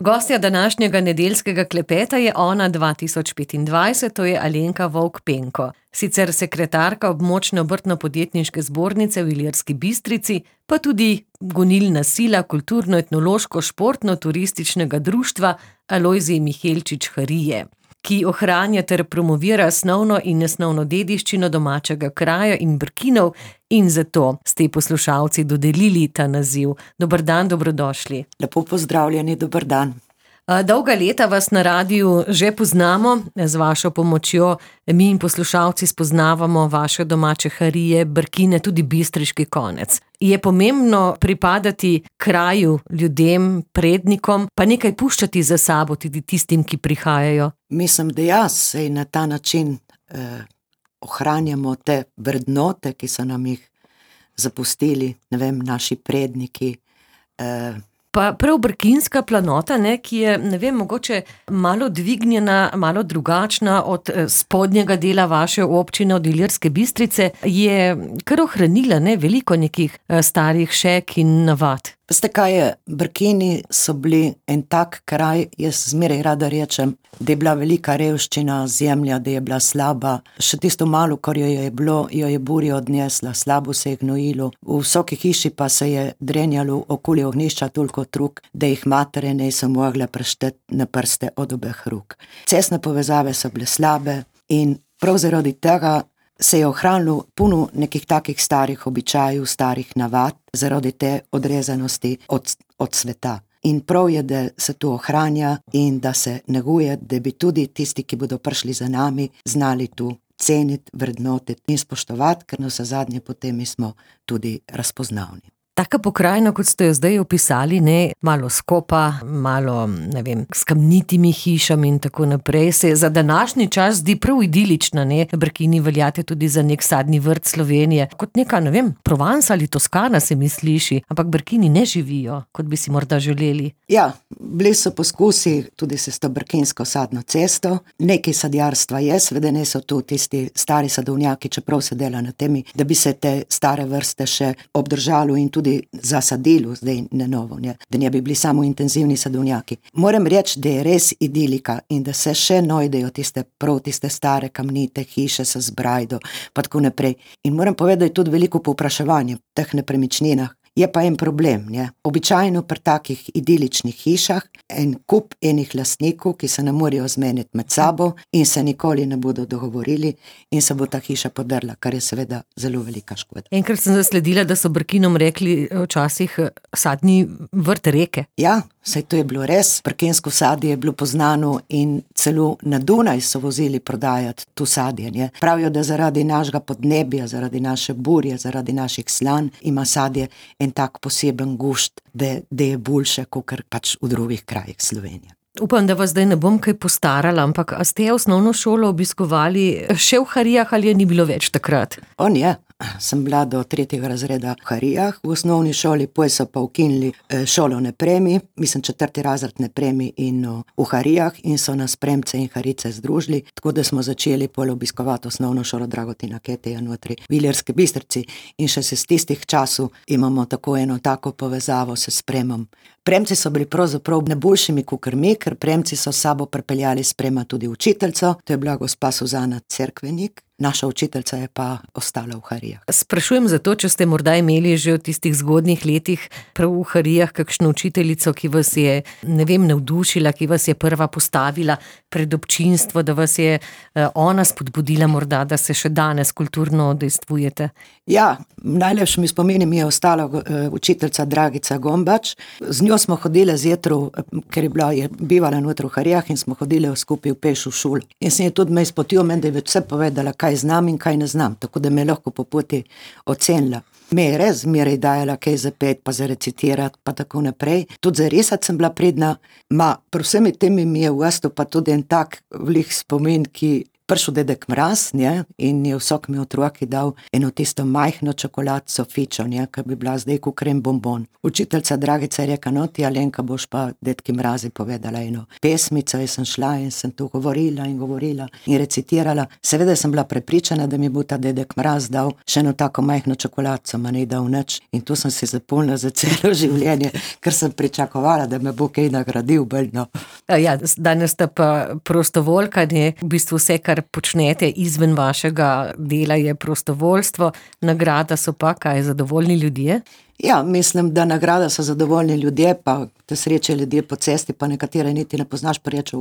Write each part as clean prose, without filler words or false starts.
Gostja današnjega nedeljskega klepeta je Ona 2025, to je Alenka Vovk-Penko. Sicer sekretarka območne obrtno-podjetniške zbornice v Ilirski Bistrici, pa tudi gonilna sila kulturno-etnološko-športno-turističnega društva Alojzij Mihelčič Harije, ki ohranja ter promovira osnovno in nesnovno dediščino domačega kraja in Brkinov, in zato ste poslušalci dodelili ta naziv. Dober dan, dobrodošli. Lepo pozdravljeni, dober dan. Dolga leta vas na radiu že poznamo, z vašo pomočjo mi in poslušalci spoznavamo vaše domače Harije, Brkine, tudi bistriški konec. Je pomembno pripadati kraju, ljudem, prednikom, pa nekaj puščati za sabo tudi tistim, ki prihajajo? Mislim, da jaz se na ta način ohranjamo te vrednote, ki so nam jih zapustili, naši predniki. Pa prav brkinska planota, ki je, mogoče malo dvignjena, malo drugačna od spodnjega dela vaše občine, od Ilirske Bistrice, je kar ohranila veliko nekih starih šek in navad. Veste kaj je, Brkini so bili en tak kraj, jaz zmeraj rada rečem, da je bila velika revščina, zemlja, da je bila slaba, še tisto malo, kar jo je bilo, jo je burja odnesla, slabo se je gnojilo, v vsaki hiši pa se je drenjalo okoli ognjišča toliko truk, da jih matere niso mogle prešteti na prste od obeh rok. Cestne povezave so bile slabe in prav zaradi tega se je ohranilo puno nekih takih starih običajev, starih navad, zaradi te odrezanosti od sveta. In prav je, da se to ohranja in da se neguje, da bi tudi tisti, ki bodo prišli za nami, znali tu ceniti, vrednotiti in spoštovati, ker navsezadnje potem mi smo tudi razpoznavni. Taka pokrajina, kot ste jo zdaj opisali, malo skopa, malo, s kamnitimi hišami in tako naprej, se za današnji čas zdi prav idilična, Brkini veljate tudi za nek sadni vrt Slovenije, kot neka, Provence ali Toskana se mi sliši, ampak Brkini ne živijo, kot bi si morda želeli. Ja, bili so poskusi tudi s to brkinsko sadno cesto, nekaj sadjarstva je, seveda ne so tu tisti stari sadovnjaki, čeprav se dela na temi, da bi se te stare vrste še obdržalo in tudi zasadilo, zdaj na novo, da ne bi bili samo intenzivni sadovnjaki. Moram reči, da je res idilika in da se še najdejo tiste stare kamnite hiše se z brajdo, pa tako naprej. In moram povedati, da je tudi veliko povpraševanje v teh nepremičninah. Je pa en problem, Običajno pri takih idiličnih hišah en kup enih lastnikov, ki se ne morejo zmeniti med sabo in se nikoli ne bodo dogovorili in se bo ta hiša podrla, kar je seveda zelo velika škoda. Enkrat sem zasledila, da so Brkinom rekli včasih sadni vrt reke. Ja, saj to je bilo res. Brkinsko sadje je bilo poznano in celo na Dunaj so vozili prodajati to sadje. Pravijo, da zaradi našega podnebja, zaradi naše burje, zaradi naših slan ima sadje en tak poseben gušt, da je boljše, kakor pač v drugih krajih Slovenije. Upam, da vas zdaj ne bom kaj postarala, ampak a ste osnovno šolo obiskovali še v Harijah ali je ni bilo več takrat? Sem bila do 3. razreda v Harijah, v osnovni šoli, potem so pa ukinili šolo na Premi, 4. razred na Premi in v Harijah in so nas Premce in Harice združili, tako da smo začeli pol obiskovati osnovno šolo Dragotina Keteja notri v Ilirski Bistrici in še se z tistih časov imamo tako eno tako povezavo s Premom. Premci so bili pravzaprav najboljšimi kakor mi, ker Premci so s sabo pripeljali s Prema tudi učiteljico, to je bila gospa Suzana Cerkvenik. Naša učiteljica je pa ostala v Harijah. Sprašujem zato, če ste morda imeli že v tistih zgodnjih letih prav v Harijah kakšno učiteljico, ki vas je, navdušila, ki vas je prva postavila pred občinstvo, da vas je ona spodbudila morda, da se še danes kulturno udejstvujete. Ja, najlepši mi spomini mi je ostala učiteljica Dragica Gombač. Z njo smo hodile zjutraj, ker je bivala notri v Harijah in smo hodile skupaj v peš v šolo. In sem je tudi me izpotila, meni da je vse povedala, kaj znam in kaj ne znam, tako da me lahko po poti ocenila. Me je res zmeraj dajala kaj za pet, pa za recitirati, pa tako naprej. Tudi za risati sem bila pridna, pri vsemi temi mi je v Astu pa tudi en tak velik spomin, ki prišel dedek Mraz, ne, in je vsak mi otroki dal eno tisto majhno čokoladco fičo, ne, ki bi bila zdaj kot krem bonbon. Učiteljca Dragica je rekla, no ti Alenka boš pa dedki Mrazi povedala eno pesmico, jaz sem šla in sem tu govorila in recitirala. Seveda sem bila prepričana, da mi bo ta dedek Mraz dal še eno tako majhno čokoladco, ma ne dal nič, in tu sem se zapolnila za celo življenje, ker sem pričakovala, da me bo kaj nagradil beljno. Ja, danes sta pa prostovoljka, ne, v bistvu vse, kar počnete izven vašega dela, je prostovoljstvo, nagrada so pa kaj, zadovoljni ljudje? Ja, mislim, da nagrada so zadovoljni ljudje, pa te sreče ljudje po cesti, pa nekatere niti ne poznaš, pa reče,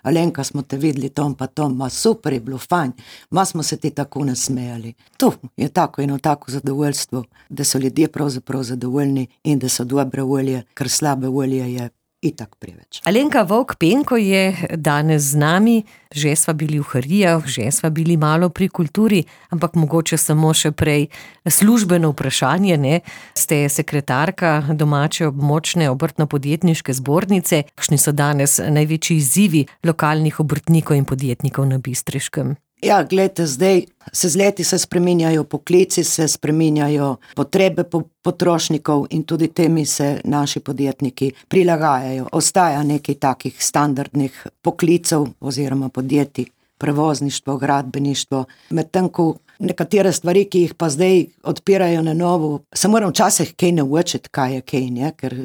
Alenka, smo te videli tom pa tom, ma super je bilo, fajn, ma smo se ti tako nasmejali. Tu je tako eno tako zadovoljstvo, da so ljudje pravzaprav zadovoljni in da so dobre volje, ker slabe volje je itak preveč. Alenka Vovk Penko je danes z nami, že sva bili v Harijah, že sva bili malo pri kulturi, ampak mogoče samo še prej službeno vprašanje, ne? Ste sekretarka domače območne obrtno-podjetniške zbornice. Kakšni so danes največji izzivi lokalnih obrtnikov in podjetnikov na Bistriškem? Ja, gledajte, zdaj z leti se spreminjajo poklici, se spreminjajo potrebe potrošnikov in tudi temi se naši podjetniki prilagajajo. Ostaja nekaj takih standardnih poklicov oziroma podjetij, prevozništvo, gradbeništvo, medtem ko nekatere stvari, ki jih pa zdaj odpirajo na novo, se moram včasih kaj naučiti, kaj je kaj, ne? Ker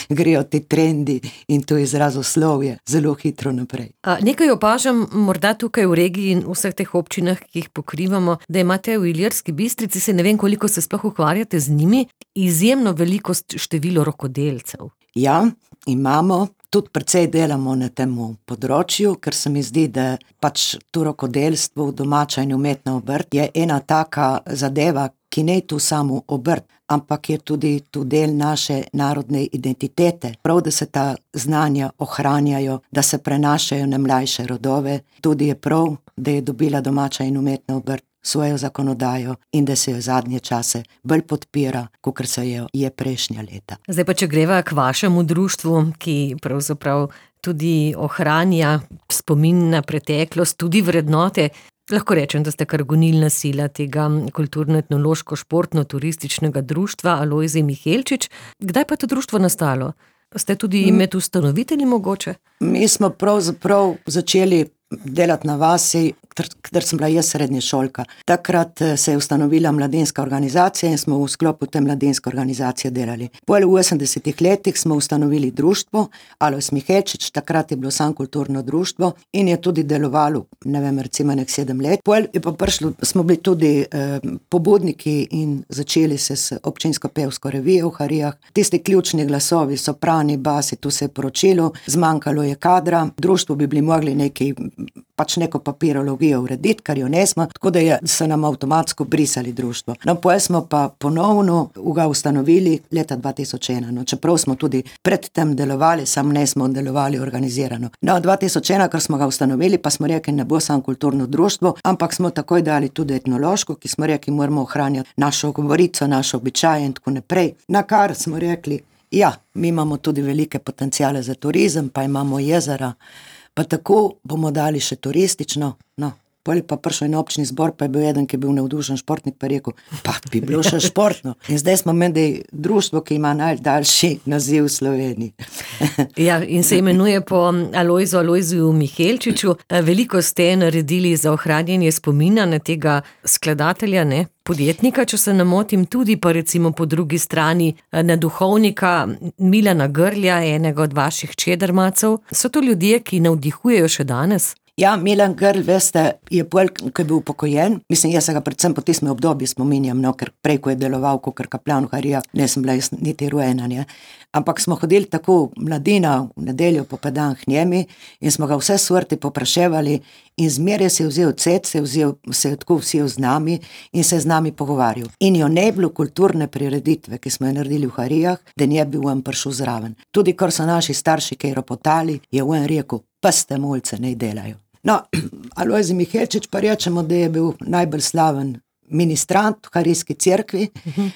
grejo ti trendi in to izrazoslovje zelo hitro naprej. Nekaj opažam morda tukaj v regiji in vseh teh občinah, ki jih pokrivamo, da imate v Ilirski Bistrici, se ne vem, koliko se sploh ukvarjate z njimi, izjemno veliko število rokodelcev. Ja, imamo. Tudi precej delamo na tem področju, ker se mi zdi, da pač to rokodelstvo, domača in umetna obrt je ena taka zadeva, ki ne je tu samo obrt, ampak je tudi tu del naše narodne identitete. Prav, da se ta znanja ohranjajo, da se prenašajo na mlajše rodove. Tudi je prav, da je dobila domača in umetna obrt svojo zakonodajo in da se jo zadnje čase bolj podpira, kakor se jo je prejšnja leta. Zdaj pa, če greva k vašemu društvu, ki pravzaprav tudi ohranja spomin na preteklost, tudi vrednote, lahko rečem, da ste kar gonilna sila tega kulturno-etnološko-športno-turističnega društva Alojzij Mihelčič. Kdaj pa to društvo nastalo? Ste tudi med ustanovitelji mogoče? Mi smo pravzaprav začeli delati na vasi, ker sem bila jaz srednješolka. Takrat se je ustanovila mladinska organizacija in smo v sklopu te mladinske organizacije delali. Potem v 80-ih letih smo ustanovili društvo Alojzij Mihelčič, takrat je bilo samo kulturno društvo in je tudi delovalo, ne vem, recimo 7 let. Potem je pa prišlo, smo bili tudi pobudniki in začeli se s občinsko pevsko revijo v Harijah. Tisti ključni glasovi, soprani, basi, tu se je poročilo, zmanjkalo je kadra, društvo bi bili mogli neko papirologijo urediti, kar jo nesmo, tako da so nam avtomatsko brisali društvo. No, potem smo pa ponovno ga ustanovili leta 2001, no, čeprav smo tudi predtem delovali, samo ne smo delovali organizirano. No, 2001, ker smo ga ustanovili, pa smo rekli, ne bo samo kulturno društvo, ampak smo takoj dali tudi etnološko, ki smo rekli, moramo ohranjati našo govorico, naše običaje in tako naprej. Na kar smo rekli, ja, mi imamo tudi velike potenciale za turizem, pa imamo jezera, pa tako bomo dali še turistično, no, potem pa prišel en občni zbor, pa je bil eden, ki je bil navdušen športnik, pa je rekel, pa bi bilo še športno. In zdaj smo menda društvo, ki ima najdaljši naziv v Sloveniji. Ja, in se imenuje po Alojziju Mihelčiču. Veliko ste naredili za ohranjanje spomina na tega skladatelja, ne? Podjetnika, če se ne motim, tudi pa recimo po drugi strani na duhovnika Milana Grlja, enega od vaših čedermacov. So to ljudje, ki navdihujejo še danes? Ja, Milan Grl, veste, je pol, ko je bil upokojen, mislim, jaz se ga predvsem po tistem obdobju spominjam, no, ker prej, ko je deloval kakor kaplan v Harijah, ne sem bila niti rojena, ne. Ampak smo hodili tako mladina v nedeljo popedan k njemi in smo ga vse sorti popraševali in zmeraj se je vzel cet, se je tako vzel z nami in se je z nami pogovarjal. In jo ne bilo kulturne prireditve, ki smo jo naredili v Harijah, da ne bi on prišel zraven. Tudi, kar so naši starši kaj ropotali, je on rekel, pa ste mulce, ne delajo. No, Alojzij Mihelčič pa rečemo, da je bil najbolj slaven ministrant v Harijski cerkvi,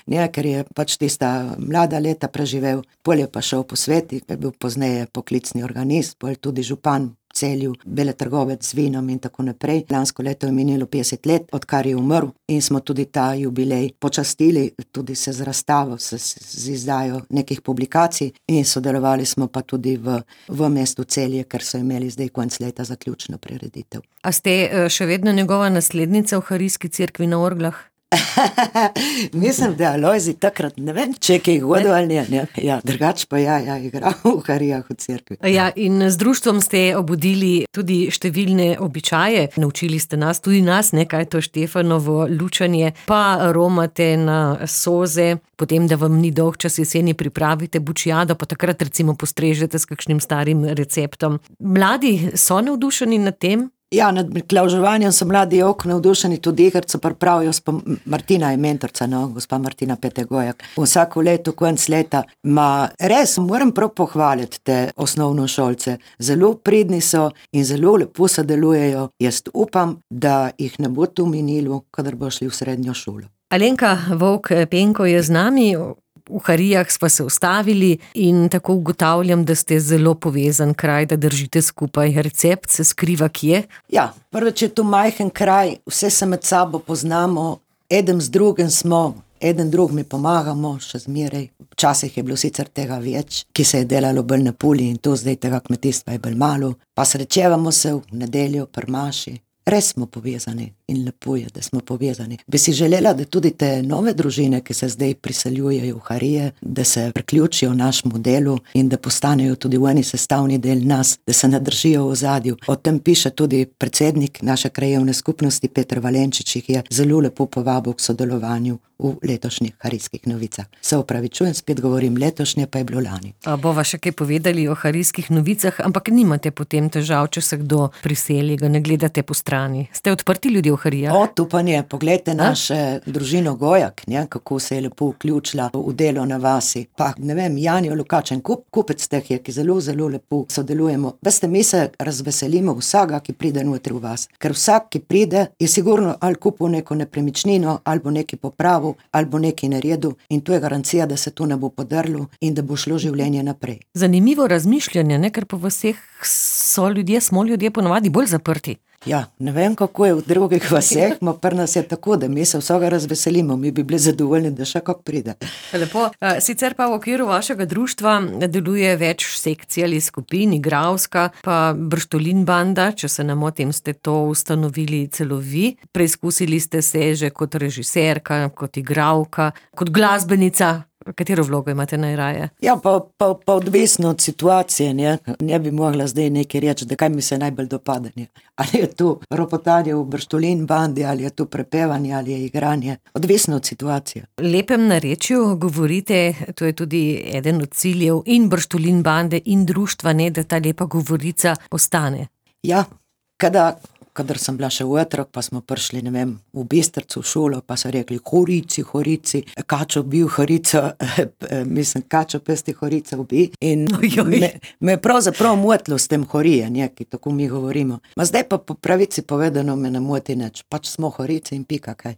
ne, ker je pač tista mlada leta preživel, pol je pa šel po sveti, je bil pozneje poklicni organist, pol tudi župan Celju, veletrgovec z vinom in tako naprej. Lansko leto je minilo 50 let, odkar je umrl in smo tudi ta jubilej počastili, tudi se z razstavo, z izdajo nekih publikacij in sodelovali smo pa tudi v mestu Celje, ker so imeli zdaj konec leta zaključno prireditev. A ste še vedno njegova naslednica v Harijski cerkvi na orglah? Mislim, da Alojzij takrat, ne vem, če je hodil ali ne. Ja, drugač pa igral v Harijah v cerkvi. Ja, in z društvom ste obudili tudi številne običaje. Naučili ste nas, tudi nas, kaj je to Štefanovo lučanje, pa romate na soze, potem, da vam ni dolg čas jeseni, pripravite bučijado, pa takrat recimo postrežete s kakšnim starim receptom. Mladi so navdušeni nad tem? Ja, nad miklavževanjem so mladi navdušeni, tudi igrco pripravijo, Martina je mentorca, gospa Martina Petegojak. Vsako leto, konec leta, res moram prav pohvaliti te osnovnošolce. Zelo pridni so in zelo lepo sodelujejo. Jaz upam, da jih ne bo tu minilo, kadar bo šli v srednjo šolo. Alenka Vovk-Penko je z nami. V Harijah smo se ustavili in tako ugotavljam, da ste zelo povezan kraj, da držite skupaj. Recept se skriva kje? Ja, prvič je tu majhen kraj, vse se med sabo poznamo, eden z drugim smo, eden drug mi pomagamo, še zmeraj. Včasih je bilo sicer tega več, ki se je delalo bolj na puli in to zdaj tega kmetijstva je bolj malo. Pa srečevamo se v nedeljo pri maši. Res smo povezani in lepo je, da smo povezani. Bi si želela, da tudi te nove družine, ki se zdaj priseljujejo v Harije, da se priključijo našemu delu in da postanejo tudi v eni sestavni del nas, da se ne držijo v ozadju. O tem piše tudi predsednik naše krajevne skupnosti, Peter Valenčič, jih je zelo lepo povabil k sodelovanju v letošnjih Harijskih novicah. Se opravičujem, spet govorim letošnje, pa je bilo lani. Bova še kaj povedali o Harijskih novicah, ampak nimate potem težav, če se kdo priseli, ga ne gledate po strani. Ste odprti ljudje v Harijah? Tu pa ne, poglejte naše družino Gojak, kako se je lepo vključila v delo na vasi. Pa ne vem, Janijo Lukačen, kupec teh je, ki zelo, zelo lepo sodelujemo. Veste, mi se razveselimo vsega, ki pride notri v vas. Ker vsak, ki pride, je sigurno ali kupil neko nepremičnino, ali bo neki popravil, ali bo nekaj naredil in to je garancija, da se to ne bo podrlo in da bo šlo življenje naprej. Zanimivo razmišljanje, ker po vseh smo ljudje ponavadi bolj zaprti. Ja, ne vem, kako je v drugih vaseh, pri nas je tako, da mi se vsega razveselimo, mi bi bili zadovoljni, da še kako pride. Lepo, sicer pa v okviru vašega društva deluje več sekcij ali skupin, igralska, pa Brštolin banda, če se ne motim, ste to ustanovili celo vi. Preizkusili ste se že kot režiserka, kot igralka, kot glasbenica. Katero vlogo imate najraje? Ja, pa odvisno od situacije, ne bi mogla zdaj nekaj reči, da kaj mi se najbolj dopade. Ali je tu ropotanje v Brštolin bandi, ali je tu prepevanje, ali je igranje. Odvisno od situacije. Lepem narečju govorite, to je tudi eden od ciljev in Brštolin bande in društva, da ta lepa govorica ostane. Ja, kadar sem bila še otrok, pa smo prišli, ne vem, v Bistrcu v šolo, pa so rekli, horici, kačo bil horico, kačo pesti horico ubi. In me je pravzaprav motilo s tem horije, ki tako mi govorimo. Zdaj pa po pravici povedano me ne moti nič, pač smo horice in pika kaj.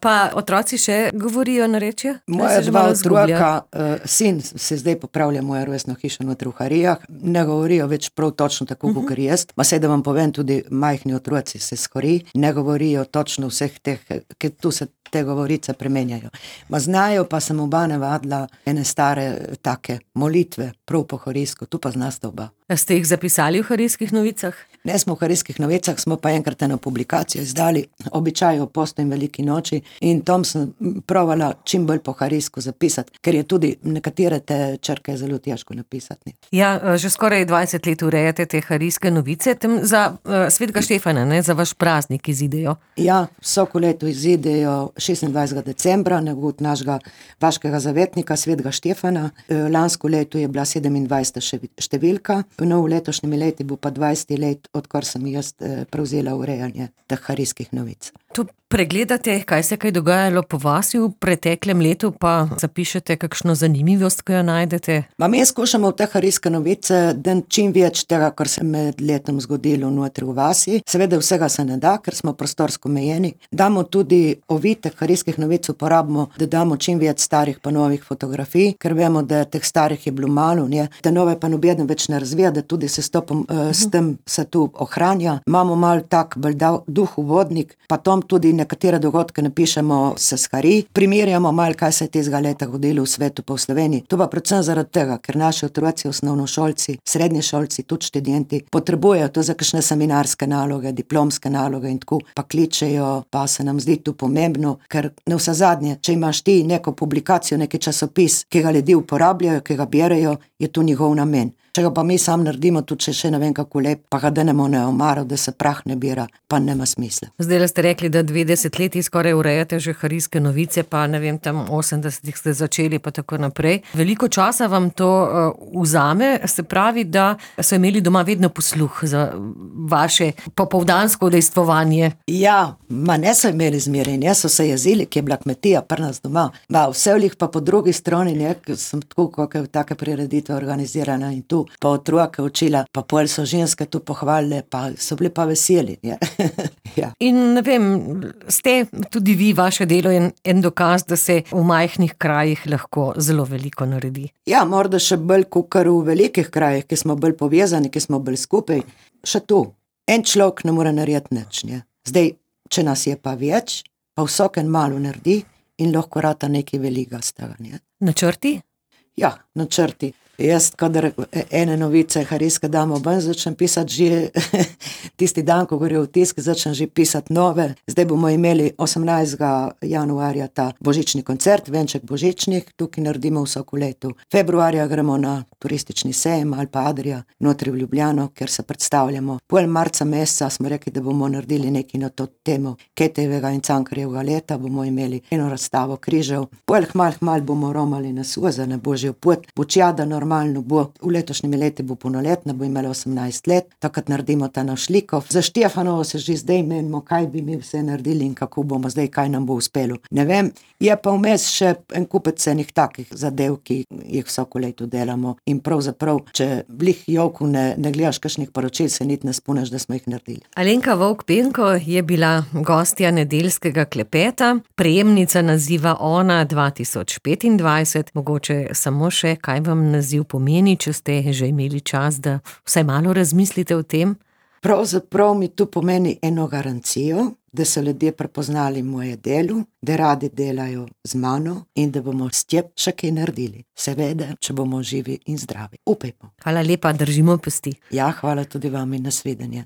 Pa otroci še govorijo narečje? Moja dva otroka, sin se zdaj popravlja moja rojstna hiša notri v Harijah, ne govorijo več prav točno tako, kot jaz. Saj da vam povem, tudi majhni otroci se skori, ne govorijo točno vseh teh, ker tu se te govorice premenjajo. Znajo pa sem oba navadila ene stare take molitve, prav po harijsko, tu pa znasta oba. Ste jih zapisali v Harijskih novicah? Ne smo v Harijskih novicah, smo pa enkrat eno publikacijo izdali, običaj o postu in veliki noči, in tam sem provala čim bolj po harijsko zapisati, ker je tudi nekatere te črke zelo težko napisati. Ja, že skoraj 20 let urejate te Harijske novice, tem za svetega Štefana, za vaš praznik izidejo. Ja, vsako leto izidejo 26. decembra, negut našega vaškega zavetnika, svetega Štefana. Lansko leto je bila 27. številka, v novo letošnjem leti bo pa 20 let, odkar sem jaz prevzela urejanje teh harijskih novic. To pregledate, kaj se je dogajalo po vasi v preteklem letu, pa zapišete kakšno zanimivost, ko jo najdete? Mi skušamo v te Harijske novice dati čim več tega, kar se med letom zgodilo notri v vasi. Seveda vsega se ne da, ker smo prostorsko omejeni. Damo tudi ovitek Harijskih novic, uporabimo, da damo čim več starih pa novih fotografij, ker vemo, da teh starih je bilo malo, ne? Te nove pa nobeden več ne razvija, da tudi se s tem se tu ohranja. Imamo malo tak duh uvodnik, pa tom tudi nekatere dogodke napišemo se s Harij, primerjamo malo, kaj se je tistega leta godilo v svetu pa v Sloveniji. To pa predvsem zaradi tega, ker naši otroci, osnovnošolci, srednješolci, tudi študenti potrebujejo to za kakšne seminarske naloge, diplomske naloge in tako, pa kličejo, pa se nam zdi to pomembno, ker navsezadnje, če imaš ti neko publikacijo, neki časopis, ki ga ljudje uporabljajo, ki ga berejo, je to njihov namen. Če ga pa mi sam naredimo, tudi če še ne vem kako lep, pa ga denemo na omaro, da se prah ne bira, pa nema smisla. Zdaj ste rekli, da 20 let skoraj urejate že Harijske novice, pa ne vem, tam 80-ih ste začeli, pa tako naprej. Veliko časa vam to vzame, se pravi, da so imeli doma vedno posluh za vaše popoldansko udejstvovanje. Ja, ne so imeli zmeraj, so se jezili, ki je bila kmetija pri nas doma. Vse vlih pa po drugi strani, sem tako, kako je take prireditve organizirana in tu pa otroke učila, pa pol so ženske tu pohvalile, pa so bili pa veseli. Ja. In ne vem, ste tudi vi, vaše delo je en dokaz, da se v majhnih krajih lahko zelo veliko naredi. Ja, morda še bolj kakor v velikih krajih, ki smo bolj povezani, ki smo bolj skupaj. Še tu, en človek ne more narediti nič. Zdaj, če nas je pa več, pa vsak en malo naredi in lahko rata nekaj velikega z tega. Načrti? Ja, načrti. Jaz, kadar ene novice Harijske damo ven, začnem pisati že tisti dan, ko gre v tisk, začnem že pisati nove. Zdaj bomo imeli 18. januarja ta božični koncert, venček božičnih, tukaj naredimo vsako leto. Februarja gremo na turistični sejem ali pa Adria, notri v Ljubljano, kjer se predstavljamo. Pol marca meseca smo rekli, da bomo naredili nekaj na to temo Ketejevega in Cankarjevega leta, bomo imeli eno razstavo križev. Pol hmal bomo romali na Suza, na Božjo pot, Bučjada normalno bo, v letošnjem leti bo polnoletna, bo imela 18 let, takrat naredimo ta naš likov. Za Štefanovo se že zdaj menimo, kaj bi mi vse naredili in kako bomo zdaj, kaj nam bo uspelo. Ne vem, je pa vmes še en kupec enih takih zadev, ki jih vsako leto delamo in pravzaprav, če blih jovku ne gledaš kakšnih poročil, se niti ne spomniš, da smo jih naredili. Alenka Vovk-Penko je bila gostja nedeljskega klepeta, prejemnica naziva Ona 2025, mogoče samo še, kaj vam naziv pomeni, če ste že imeli čas, da vsaj malo razmislite o tem? Pravzaprav mi tu pomeni eno garancijo, da so ljudje prepoznali moje delo, da radi delajo z mano in da bomo s tem še kaj naredili. Seveda, če bomo živi in zdravi. Upajmo. Hvala lepa, držimo pesti. Ja, hvala tudi vam in nasvidenje.